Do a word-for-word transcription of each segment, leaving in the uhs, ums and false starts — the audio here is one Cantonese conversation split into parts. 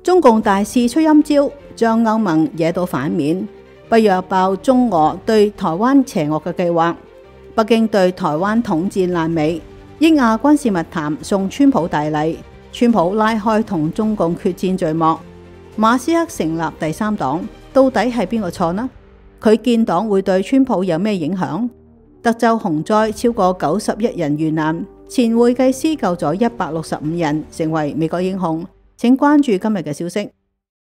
中共大肆出陰招，將歐盟惹到反面，北約爆中俄對台灣邪惡嘅計劃，北京對台灣統戰爛尾，英亞軍事密談送川普大禮，川普拉開同中共決戰序幕，馬斯克成立第三黨，到底係邊個錯呢？佢建黨會對川普有咩影響？德州洪災超過九十一人遇難，前會計師救咗一百六十五人，成為美國英雄。請關注今日嘅消息。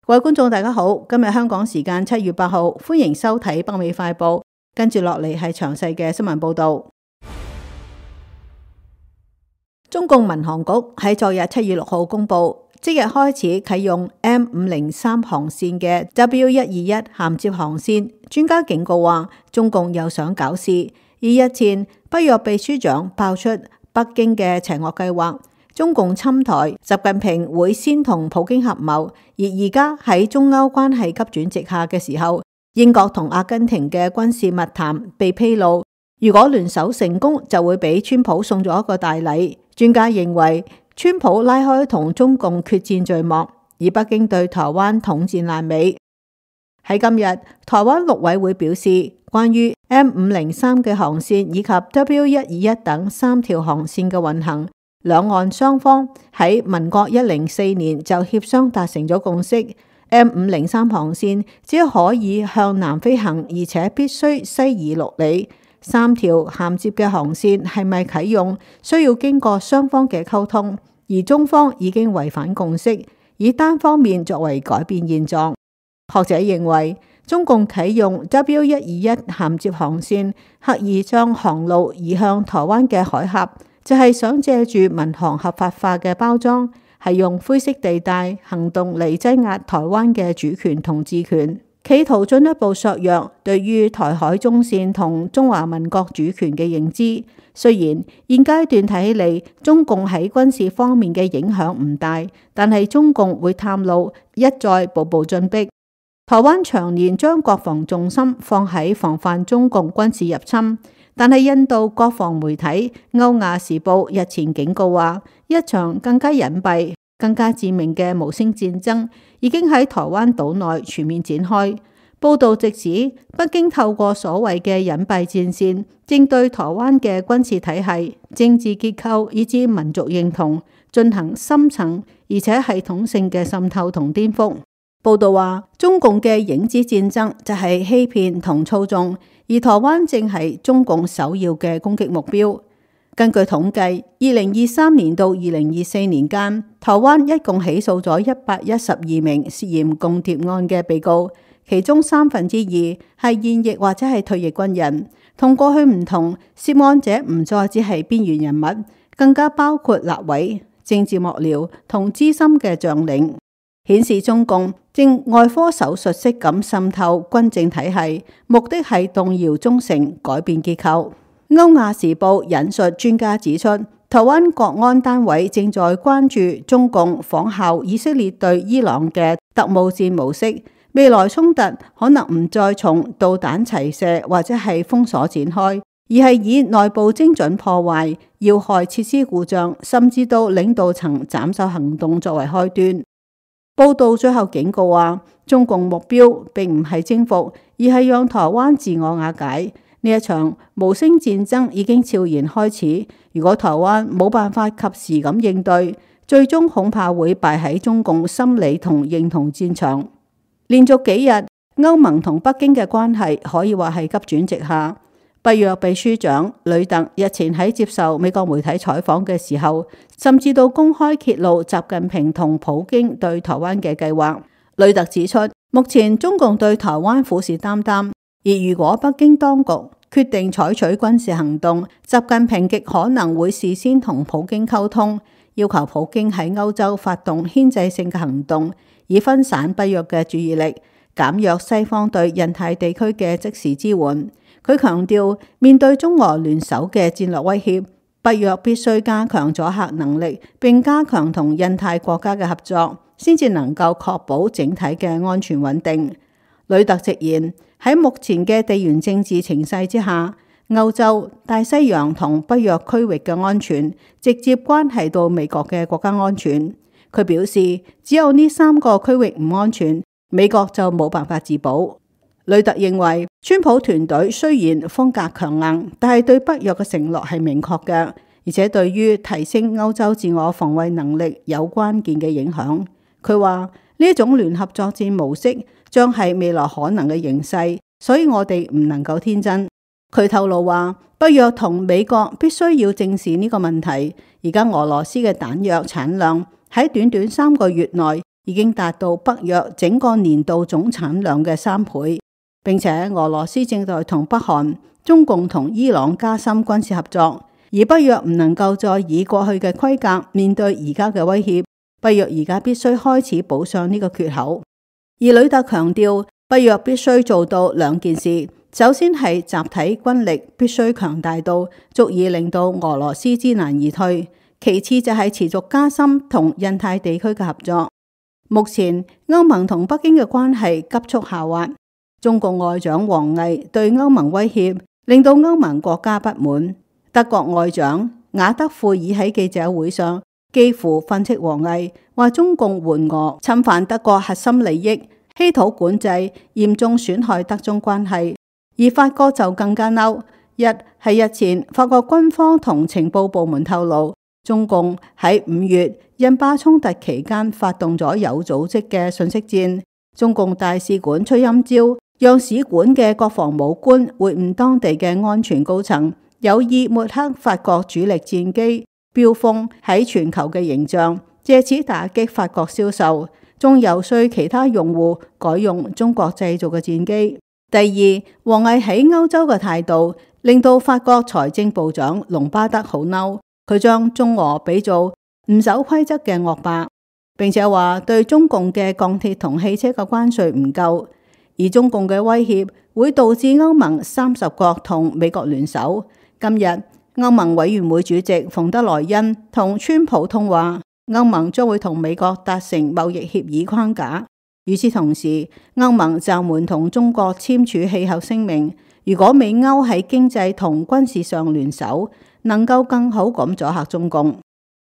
各位觀眾大家好，今日香港時間七月八號，歡迎收睇北美快報。跟住落嚟係詳細嘅新聞報道。中共民航局喺昨日七月六號公布，即日開始啟用 M 五零三航線嘅 W 一二一銜接航線。專家警告話，中共又想搞事。而日前北約秘書長爆出北京嘅邪惡計劃。中共侵台，習近平會先同普京合謀。而而家喺中歐關係急轉直下嘅時候，英國同阿根廷嘅軍事密談被披露，如果聯手成功，就會俾川普送咗一個大禮。專家認為，川普拉開同中共決戰序幕，而北京對台灣統戰爛尾。喺今日，台灣陸委會表示，關於 M 五零三嘅航線以及 W 一二一等三條航線嘅運行，兩岸雙方喺民國一零四年就協商達成咗共識。M 五零三航線只可以向南飛行，而且必須西移六里。三條銜接嘅航線係咪啟用，需要經過雙方嘅溝通，而中方已經違反共識，以單方面作為改變現狀。學者認為，中共啟用 W 一二一銜接航線，刻意將航路移向台灣嘅海峽，就係想借住民航合法化嘅包裝，係用灰色地帶行動嚟擠壓台灣嘅主權同治權，企圖進一步削弱對於台海中線同中華民國主權嘅認知。雖然現階段睇起嚟，中共喺軍事方面嘅影響唔大，但係中共會探路，一再步步進逼。台灣長年將國防重心放喺防範中共軍事入侵。但係印度國防媒體《歐亞時報》日前警告話，一場更加隱蔽、更加致命嘅無聲戰爭已經喺台灣島內全面展開。報導直指，北京透過所謂嘅隱蔽戰線，正對台灣嘅軍事體系、政治結構以至民族認同進行深層而且系統性嘅滲透同顛覆。報導話，中共嘅影子戰爭就係欺騙同操縱。而台灣正係中共首要嘅攻擊目標。根據統計，二零二三年到二零二四年間，台灣一共起訴咗一百一十二名涉嫌共諜案嘅被告，其中三分之二係現役或者係退役軍人。同過去唔同，涉案者唔再只係邊緣人物，更加包括立委、政治幕僚同資深嘅將領。顯示中共正外科手術式咁滲透軍政體系，目的係動搖忠誠、改變結構。歐亞時報引述專家指出，台灣國安單位正在關注中共仿效以色列對伊朗嘅特務戰模式，未來衝突可能唔再從導彈齊射或者係封鎖展開，而係以內部精準破壞、要害設施故障，甚至到領導層斬首行動作為開端。報道最後警告話，中共目標並唔係征服，而係讓台灣自我瓦解。呢一場無聲戰爭已經悄然開始。如果台灣冇辦法及時咁應對，最終恐怕會敗喺中共心理同認同戰場。連續幾日，歐盟同北京嘅關係可以話係急轉直下。北約秘書長呂特日前喺接受美國媒體採訪嘅時候，甚至到公開揭露習近平同普京對台灣嘅計劃。呂特指出，目前中共對台灣虎視眈眈，而如果北京當局決定採取軍事行動，習近平極可能會事先同普京溝通，要求普京喺歐洲發動牽制性嘅行動，以分散北約嘅注意力，減弱西方對印太地區嘅即時支援。佢強調，面對中俄聯手嘅戰略威脅，北約必須加強阻嚇能力，並加強同印太國家嘅合作，先至能夠確保整體嘅安全穩定。呂特直言，喺目前嘅地緣政治情勢之下，歐洲、大西洋同北約區域嘅安全，直接關係到美國嘅國家安全。佢表示，只有呢三個區域唔安全，美國就冇辦法自保。呂特認為，川普團隊雖然風格強硬，但係對北約嘅承諾係明確嘅，而且對於提升歐洲自我防衛能力有關鍵嘅影響。佢話呢一種聯合作戰模式將係未來可能嘅形勢，所以我哋唔能夠天真。佢透露話，北約同美國必須要正視呢個問題。而家俄羅斯嘅彈藥產量喺短短三個月內已經達到北約整個年度總產量嘅三倍，並且俄羅斯正在同北韓、中共同伊朗加深軍事合作，而北約唔能夠再以過去嘅規格面對而家嘅威脅，北約而家必須開始補上呢個缺口。而呂特強調，北約必須做到兩件事。首先係集體軍力必須強大到足以令到俄羅斯知難而退，其次就係持續加深同印太地區嘅合作。目前歐盟同北京嘅關係急速下滑，中共外長王毅對歐盟威脅令到歐盟國家不滿。德國外長雅德庫爾喺記者會上幾乎訓斥王毅，話中共援俄侵犯德國核心利益，稀土管制嚴重損害德中關係。而法國就更加嬲，一係日前法國軍方同情報部門透露，中共喺五月印巴衝突期間發動咗有組織嘅信息戰，中共大使館出陰招，讓使館嘅國防武官會晤當地嘅安全高層，有意抹黑法國主力戰機飆風喺全球嘅形象，借此打擊法國銷售，仲遊說其他用戶改用中國製造嘅戰機。第二，王毅喺歐洲嘅態度令到法國財政部長隆巴德好嬲，佢將中俄比做唔守規則嘅惡霸，並且話對中共嘅鋼鐵同汽車嘅關稅唔夠，而中共嘅威脅會導致歐盟三十國同美國聯手。今日歐盟委員會主席馮德萊恩同川普通話，歐盟將會同美國達成貿易協議框架。與此同時，歐盟暫緩同中國簽署氣候聲明。如果美歐喺經濟同軍事上聯手，能夠更好咁阻嚇中共。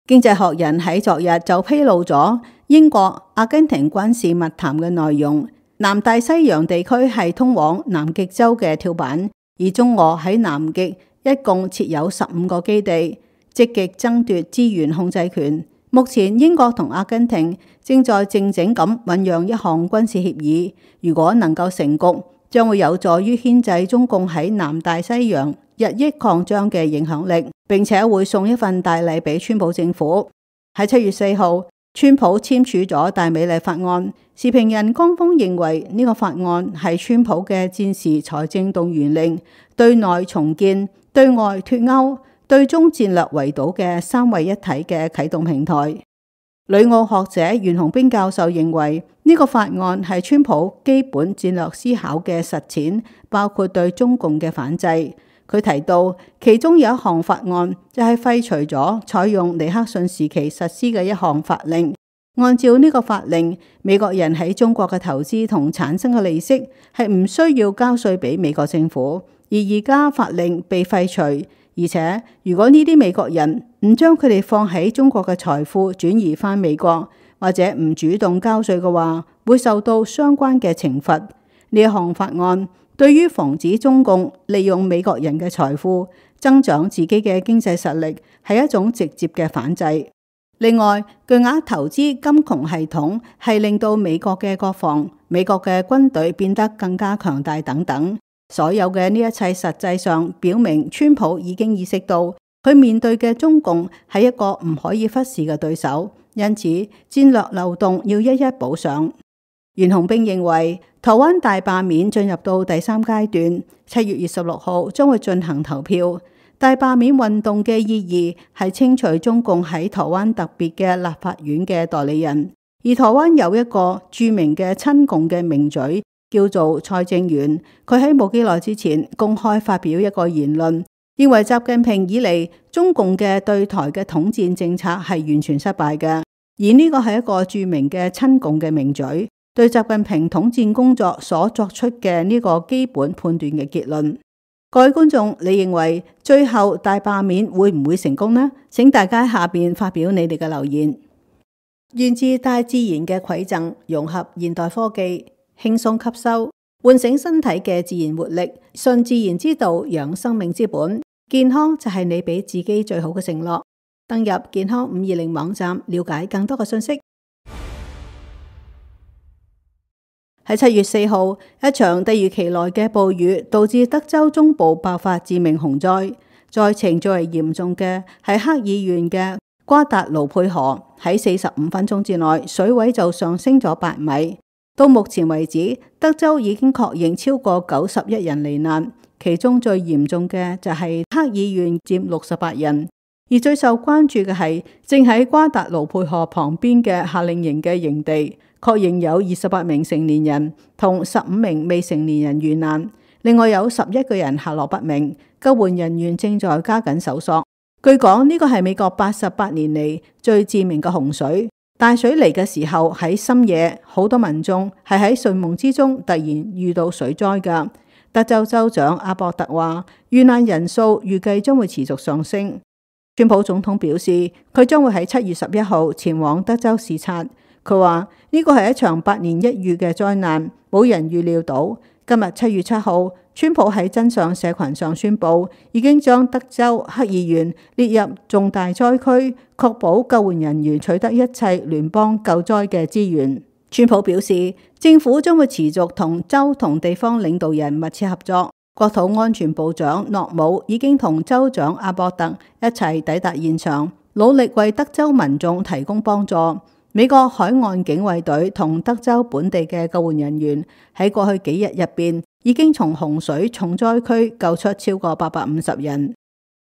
經濟學人喺昨日就披露咗英國、阿根廷軍事密談嘅內容。南大西洋地區係通往南極洲嘅跳板，而中俄喺南極一共設有十五個基地，積極爭奪資源控制權。目前英國同阿根廷正在靜靜咁醞釀一項軍事協議，如果能夠成局，將會有助於牽制中共喺南大西洋日益擴張嘅影響力，並且會送一份大禮俾川普政府。喺七月四號，川普簽署咗大美麗法案，時評人江峰認為呢個法案係川普嘅戰時財政動員令，對內重建、對外脫歐、對中戰略圍堵嘅三位一體嘅啟動平台。旅澳學者袁洪兵教授認為呢個法案係川普基本戰略思考嘅實踐，包括對中共嘅反制。佢提到其中有一項法案就係廢除咗採用尼克遜時期實施嘅一項法令。按照呢個法令，美國人喺中國嘅投資同產生嘅利息係唔需要交稅俾美國政府，而而家法令被廢除。而且，如果呢啲美國人唔將佢哋放喺中國嘅財富轉移返美國，或者唔主動交稅嘅話，會受到相關嘅懲罰。呢一項法案對於防止中共利用美國人嘅財富增長自己嘅經濟實力，係一種直接嘅反制。另外，巨額投資金融系統係令到美國嘅國防、美國嘅軍隊變得更加強大等等。所有嘅呢一切實際上表明，川普已經意識到佢面對嘅中共係一個唔可以忽視嘅對手，因此戰略漏洞要一一補上。袁洪兵認為，台灣大罷免進入到第三階段，七月二十六號將會進行投票。大罷免運動嘅意義係清除中共喺台灣特別嘅立法院嘅代理人，而台灣有一個著名嘅親共嘅名嘴，叫做蔡正元，佢喺冇幾耐之前公開發表一個言論，認為習近平以嚟中共嘅對台嘅統戰政策係完全失敗嘅，而呢個係一個著名嘅親共嘅名嘴對習近平統戰工作所作出嘅呢個基本判斷嘅結論。各位觀眾，你認為最後大罷免會唔會成功呢？請大家下邊發表你哋嘅留言。源自大自然嘅饋贈，融合現代科技，輕鬆吸收，喚醒身體嘅自然活力，順自然之道，養生命之本。健康就係你俾自己最好嘅承諾。登入健康五二零網站，了解更多嘅信息。喺七月四號，一場突如其來嘅暴雨導致德州中部爆發致命洪災，災情最為嚴重嘅係克爾縣嘅瓜達盧佩河，喺四十五分鐘之內水位就上升咗八米。到目前為止，德州已經確認超過九十一人罹難，其中最嚴重嘅就係克爾縣佔六十八人，而最受關注嘅係正喺瓜達盧佩河旁邊嘅夏令營嘅營地，確認有二十八名成年人同十五名未成年人遇難，另外有十一個人下落不明，救援人員正在加緊搜索。據講呢個係美國八十八年嚟最致命嘅洪水。大水嚟嘅時候喺深夜，好多民眾係喺睡夢之中突然遇到水災㗎。德州州長阿博特話，遇難人數預計將會持續上升。川普總統表示，佢將會喺七月十一號前往德州視察。佢話呢個係一場百年一遇嘅災難，冇人預料到。今日七月七號，川普喺真相社群上宣布，已經將德州克爾縣列入重大災區，確保救援人員取得一切聯邦救災嘅資源。川普表示，政府將會持續同州同地方領導人密切合作。國土安全部長諾姆已經同州長阿博特一齊抵達現場，努力為德州民眾提供幫助。美國海岸警衛隊同德州本地嘅救援人員喺過去幾日入邊，已經從洪水重災區救出超過八百五十人。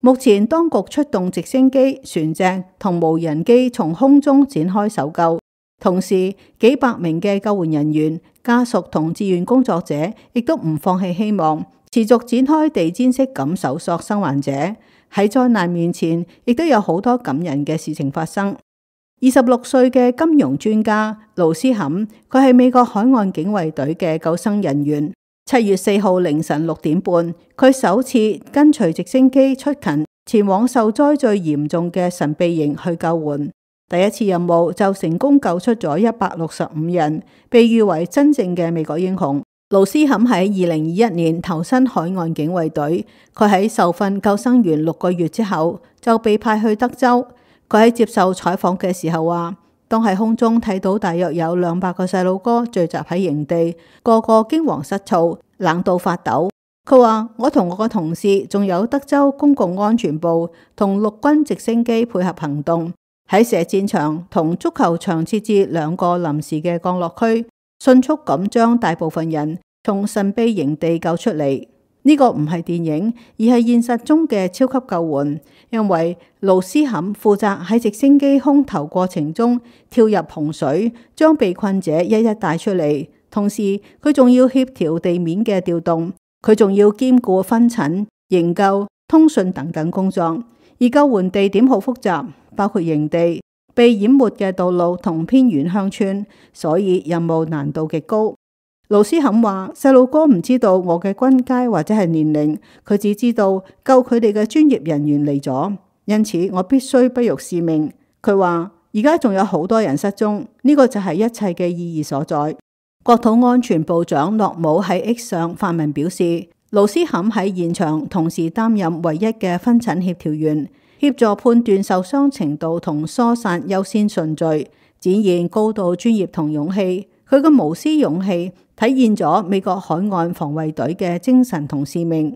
目前當局出動直升機、船隻同無人機從空中展開搜救，同時幾百名嘅救援人員、家屬同志願工作者亦都唔放棄希望，持續展開地毯式咁搜索生還者。喺災難面前，亦都有好多感人嘅事情發生。二十六歲嘅金融專家盧斯坎，佢係美國海岸警衛隊嘅救生人員。七月四號凌晨六點半，佢首次跟隨直升機出勤，前往受災最嚴重嘅神秘營去救援。第一次任務就成功救出咗一百六十五人，被譽為真正嘅美國英雄。盧斯坎喺二零二一年投身海岸警衛隊，佢喺受訓救生員六個月之後就被派去德州。佢喺接受採訪嘅時候話，當喺空中睇到大約有兩百個細路哥聚集喺營地，個個驚惶失措，冷到發抖。佢話，我同我個同事仲有德州公共安全部同陸軍直升機配合行動，喺射箭場同足球場設置兩個臨時嘅降落區，迅速咁將大部分人從神秘營地救出嚟。呢個唔係電影，而係現實中嘅超級救援。因為盧斯坎負責喺直升機空投過程中跳入洪水，將被困者一一帶出嚟。同時，佢仲要協調地面嘅調動，佢仲要兼顧分診、營救、通訊等等工作。而救援地點好複雜，包括營地、被淹沒嘅道路同偏遠鄉村，所以任務難度極高。盧斯坎話，細路哥唔知道我嘅軍階或者係年齡，佢只知道救佢哋嘅專業人員嚟咗，因此我必須不辱使命。佢話而家仲有好多人失蹤，呢個就係一切嘅意義所在。國土安全部長諾姆喺 X 上發文表示，盧斯坎喺現場同時擔任唯一嘅分診協調員，協助判斷受傷程度同疏散優先順序，展現高度專業同勇氣。佢嘅無私勇氣體現咗美國海岸防衛隊嘅精神同使命。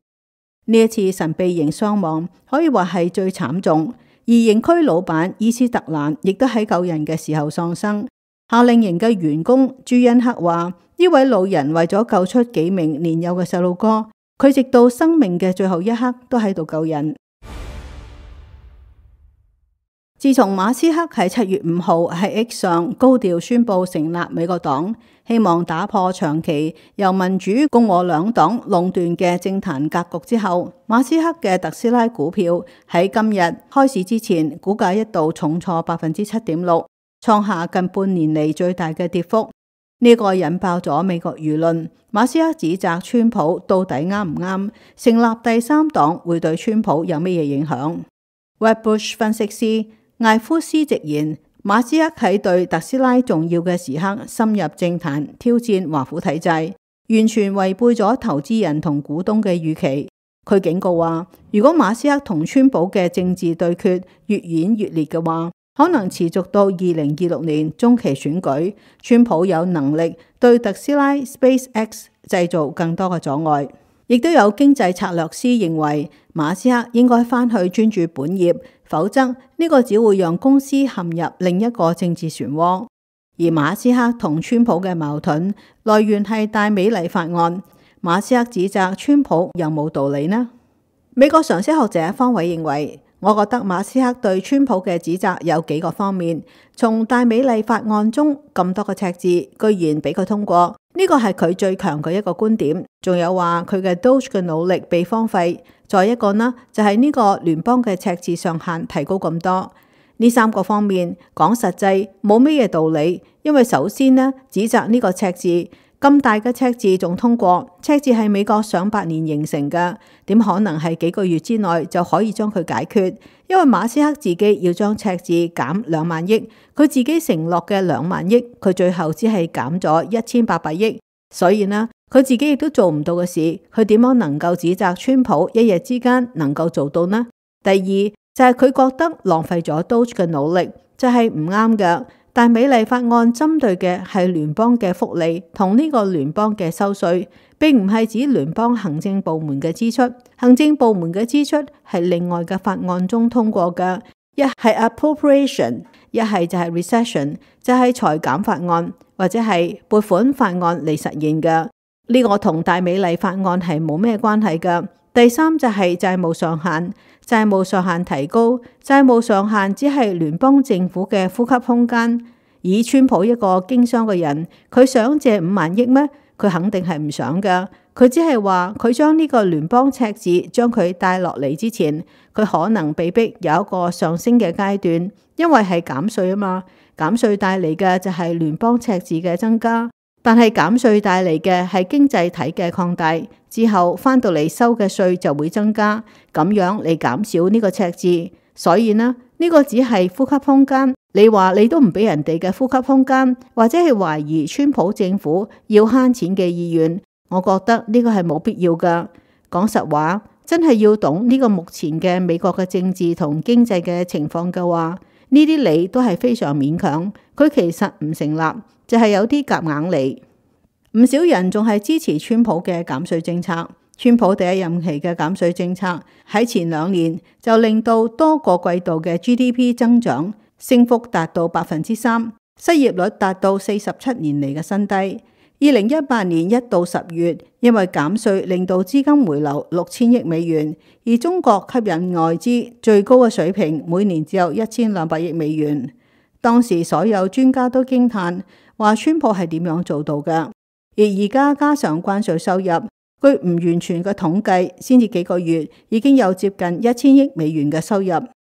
呢一次神秘營傷亡可以話係最慘重，而營區老闆伊斯特蘭亦都喺救人嘅時候喪生。夏令營嘅員工朱恩克話，呢位老人為咗救出幾名年幼嘅細路哥，佢直到生命嘅最後一刻都喺度救人。自從馬斯克喺七月五號喺 X 上高調宣布成立美國黨，希望打破長期由民主共和兩黨壟斷嘅政壇格局之後，馬斯克嘅特斯拉股票喺今日開市之前，股價一度重挫百分之七點六，創下近半年嚟最大嘅跌幅。呢、這個引爆咗美國輿論。馬斯克指責川普到底啱唔啱？成立第三黨會對川普有乜嘢影響？Wedbush 分析師艾夫斯直言，馬斯克喺對特斯拉重要嘅時刻深入政壇挑戰華府體制，完全違背咗投資人同股東嘅預期。佢警告話，如果馬斯克同川普嘅政治對決越演越烈嘅話，可能持續到二零二六年中期選舉，川普有能力對特斯拉 SpaceX 製造更多嘅阻礙。亦都有經濟策略師認為，馬斯克應該返去專注本業，否則呢個只會讓公司陷入另一個政治漩渦。而馬斯克同川普嘅矛盾來源係大美麗法案。馬斯克指責川普有冇道理呢？美國常識學者方偉認為，我覺得馬斯克對川普嘅指責有幾個方面。從大美麗法案中咁多個赤字，居然俾佢通過，呢個係佢最強嘅一個觀點。仲有話佢嘅 Doge 嘅努力被荒廢。再一個呢，就係呢個聯邦嘅赤字上限提高咁多。呢三個方面講實際冇咩嘢道理，因為首先呢，指責呢個赤字咁大嘅赤字仲通過，赤字係美國上百年形成嘅，點可能係幾個月之內就可以將佢解決？因為馬斯克自己要將赤字減兩萬億，佢自己承諾嘅兩萬億，佢最後只係減咗一千八百億，所以呢，佢自己亦都做唔到嘅事，佢點樣能夠指責川普一夜之間能夠做到呢？第二就係佢覺得浪費咗 Doge 嘅努力，就係唔啱嘅。但美麗法案針對嘅係聯邦嘅福利同呢個聯邦嘅收稅，並唔係指聯邦行政部門嘅支出。行政部門嘅支出係另外嘅法案中通過嘅，一係 appropriation， 一係就係 recession， 就係裁減法案或者係撥款法案嚟實現嘅。呢個同大美麗法案係冇咩關係嘅。第三就係債務上限，債務上限提高，債務上限只係聯邦政府嘅呼吸空間。以川普一個經商嘅人，佢想借五萬億咩？佢肯定係唔想㗎。佢只係話佢將呢個聯邦赤字將佢帶落嚟之前，佢可能被逼有一個上升嘅階段，因為係減稅啊嘛。減稅帶嚟嘅就係聯邦赤字嘅增加。但係減稅帶嚟嘅係經濟體嘅擴大，之後翻到嚟收嘅稅就會增加，咁樣嚟減少呢個赤字。所以呢，呢個只係呼吸空間。你話你都唔俾人哋嘅呼吸空間，或者係懷疑川普政府要慳錢嘅意願，我覺得呢個係冇必要噶。講實話，真係要懂呢個目前嘅美國嘅政治同經濟嘅情況嘅話，呢啲理都係非常勉強，佢其實唔成立。就係有啲夾硬嚟，唔少人仲係支持川普嘅減稅政策。川普第一任期嘅減稅政策喺前兩年就令到多個季度嘅 G D P 增長升幅達到百分之三，失業率達到四十七年嚟嘅新低。二零一八年一到十月，因為減稅令到資金回流六千億美元，而中國吸引外資最高嘅水平每年只有一千兩百億美元。當時所有專家都驚嘆，話川普係點樣做到嘅？而而家加上關稅收入，據唔完全嘅統計，先至幾個月已經有接近一千億美元嘅收入。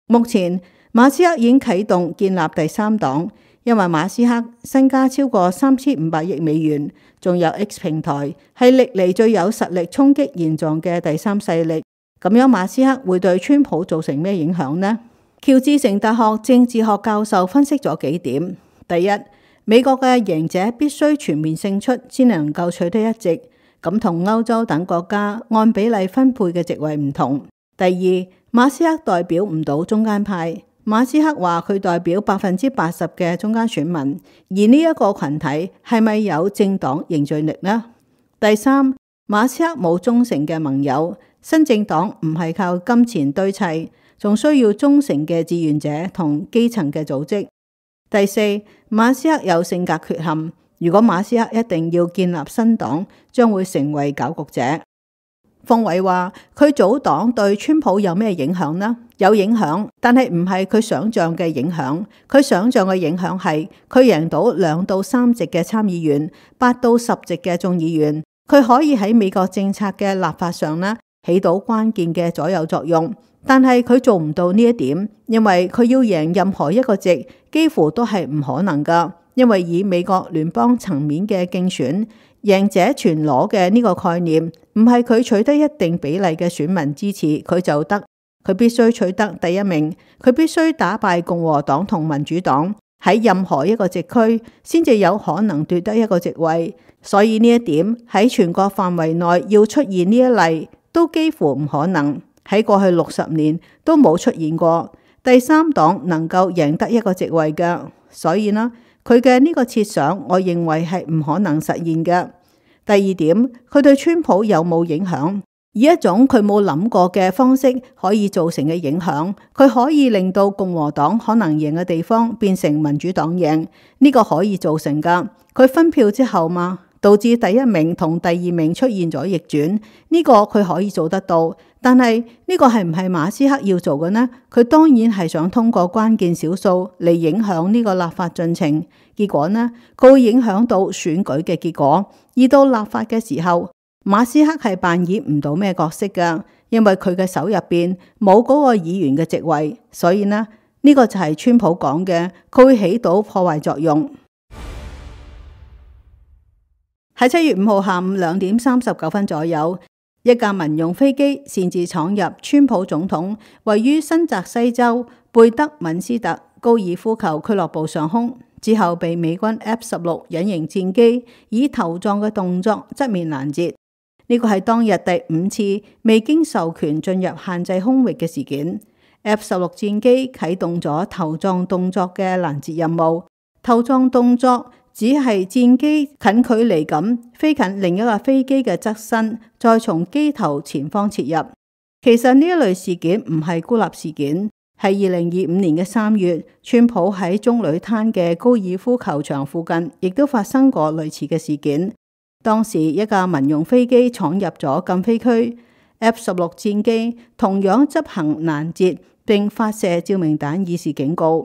目前馬斯克已經啟動建立第三黨，因為馬斯克身家超過三千五百億美元，仲有 X 平台係歷嚟最有實力衝擊現狀嘅第三勢力。咁樣馬斯克會對川普造成咩影響呢？喬治城大學政治學教授分析咗幾點。第一，美國嘅贏者必須全面勝出先能夠取得一席，咁同歐洲等國家按比例分配嘅席位唔同。第二，馬斯克代表唔到中間派，馬斯克話佢代表百分之八十嘅中間選民，而呢一個群體係咪有政黨凝聚力呢？第三，馬斯克冇忠誠嘅盟友，新政黨唔係靠金錢堆砌，仲需要忠誠嘅志願者同基層嘅組織。第四，馬斯克有性格缺陷，如果馬斯克一定要建立新黨，將會成為攪局者。方偉話佢組黨對川普有咩影響呢？有影響，但係唔係佢想象嘅影響。佢想象嘅影響係佢贏到兩到三席嘅參議員，八到十席嘅眾議員，佢可以喺美國政策嘅立法上呢起到關鍵嘅左右作用。但係佢做唔到呢一點，因為佢要贏任何一個席，幾乎都係唔可能噶。因為以美國聯邦層面嘅競選，贏者全攞嘅呢個概念，唔係佢取得一定比例嘅選民支持佢就得，佢必須取得第一名，佢必須打敗共和黨同民主黨，喺任何一個職區先至有可能奪得一個職位，所以呢一點喺全國範圍內要出現呢一例都幾乎唔可能。喺過去六十年都冇出現過第三黨能夠贏得一個職位嘅，所以呢，佢嘅呢個設想，我認為係唔可能實現嘅。第二點，佢對川普有冇影響？以一種佢冇諗過嘅方式可以造成嘅影響，佢可以令到共和黨可能贏嘅地方變成民主黨贏，呢個可以造成噶。佢分票之後嘛，導致第一名同第二名出現咗逆轉，呢個佢可以做得到。但係呢個係唔係馬斯克要做嘅呢？佢當然係想通過關鍵少數嚟影響呢個立法進程，結果呢，佢會影響到選舉嘅結果。而到立法嘅時候，馬斯克係扮演唔到咩角色㗎，因為佢嘅手入邊冇嗰個議員嘅職位，所以呢，呢個就係川普講嘅，佢會起到破壞作用。喺七月五號下午兩點三十九分左右，一架民用飛機擅自闖入川普總統位於新澤西州貝德敏斯特高爾夫球俱樂部上空，之後被美軍 F 十六隱形戰機以頭撞嘅動作側面攔截。呢個係當日第五次未經授權進入限制空域嘅事件。F 十六戰機啟動咗頭撞動作嘅攔截任務。頭撞動作只係戰機近距離咁飛近另一架飛機嘅側身，再從機頭前方切入。其實呢一類事件唔係孤立事件，係二零二五年嘅三月，川普喺棕櫚灘嘅高爾夫球場附近，亦都發生過類似嘅事件。當時一架民用飛機闖入咗禁飛區 ，F 十六戰機同樣執行攔截並發射照明彈以示警告。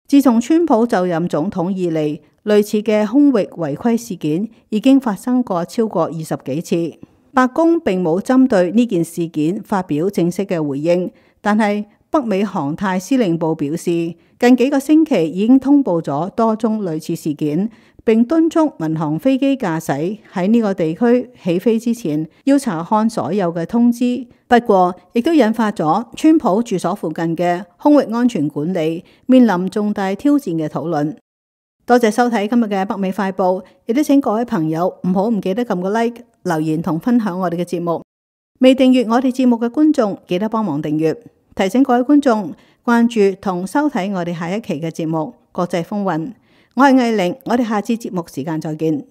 自從川普就任總統以嚟，類似嘅空域違規事件已經發生過超過二十幾次。白宮並冇針對呢件事件發表正式嘅回應，但係北美航太司令部表示，近幾個星期已經通報咗多宗類似事件，並敦促民航飛機駕駛喺呢個地區起飛之前要查看所有嘅通知。不過，亦都引發咗川普住所附近嘅空域安全管理面臨重大挑戰嘅討論。多謝收睇今日嘅北美快報，亦都請各位朋友唔好唔記得撳個 like、留言同分享我哋嘅節目。未訂閱我哋節目嘅觀眾，記得幫忙訂閱。提醒各位觀眾關注同收睇我哋下一期嘅節目《國際風雲》。我係藝玲，我哋下次節目時間再見。